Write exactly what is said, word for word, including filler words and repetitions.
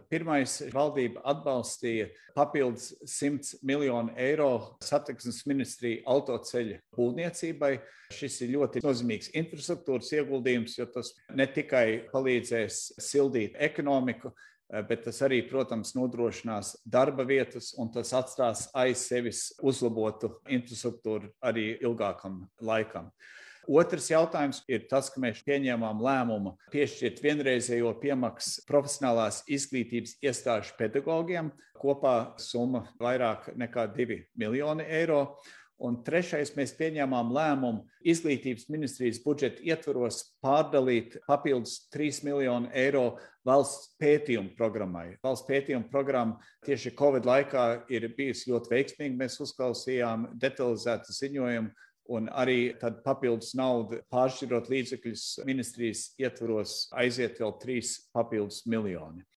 Pirmais, valdība atbalstīja papildus simts miljonu eiro satiksmes ministrija autoceļu būvniecībai. Šis ir ļoti nozīmīgs infrastruktūras ieguldījums, jo tas ne tikai palīdzēs sildīt ekonomiku, bet tas arī, protams, nodrošinās darba vietas un tas atstās aiz sevis uzlabotu infrastruktūru arī ilgākam laikam. Otrs jautājums ir tas, ka mēs pieņēmām lēmumu piešķirt vienreizējo piemaksu profesionālās izglītības iestāžu pedagogiem. Kopā summa vairāk nekā divi miljoni eiro. Un trešais, mēs pieņēmām lēmumu izglītības ministrijas budžeta ietvaros pārdalīt papildus trīs miljonu eiro valsts pētījumu programmai. Valsts pētījumu programma tieši Covid laikā ir bijusi ļoti veiksmīga. Mēs uzklausījām detalizētu ziņojumu un arī tad papildus naudu pāršķirot līdzekļus ministrijas ietvaros aiziet vēl trīs papildus miljoni.